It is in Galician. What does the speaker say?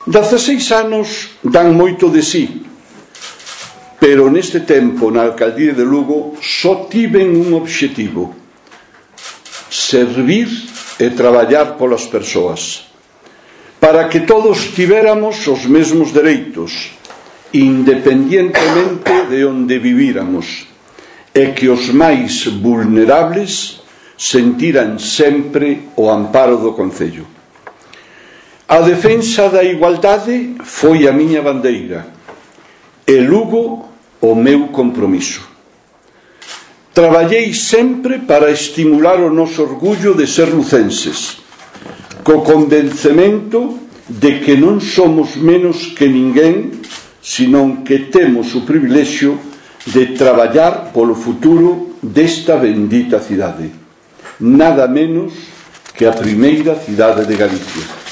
16 anos dan moito de sí, pero neste tempo na alcaldía de Lugo só tiven un obxectivo: servir e traballar polas persoas, para que todos tivéramos os mesmos dereitos, independientemente de onde vivíramos, e que os máis vulnerables sentiran sempre o amparo do concello. A defensa da igualdade foi a miña bandeira e Lugo o meu compromiso. Traballei sempre para estimular o noso orgullo de ser lucenses, co convencemento de que non somos menos que ninguén, senón que temos o privilexio de traballar polo futuro desta bendita cidade, nada menos que a primeira cidade de Galicia.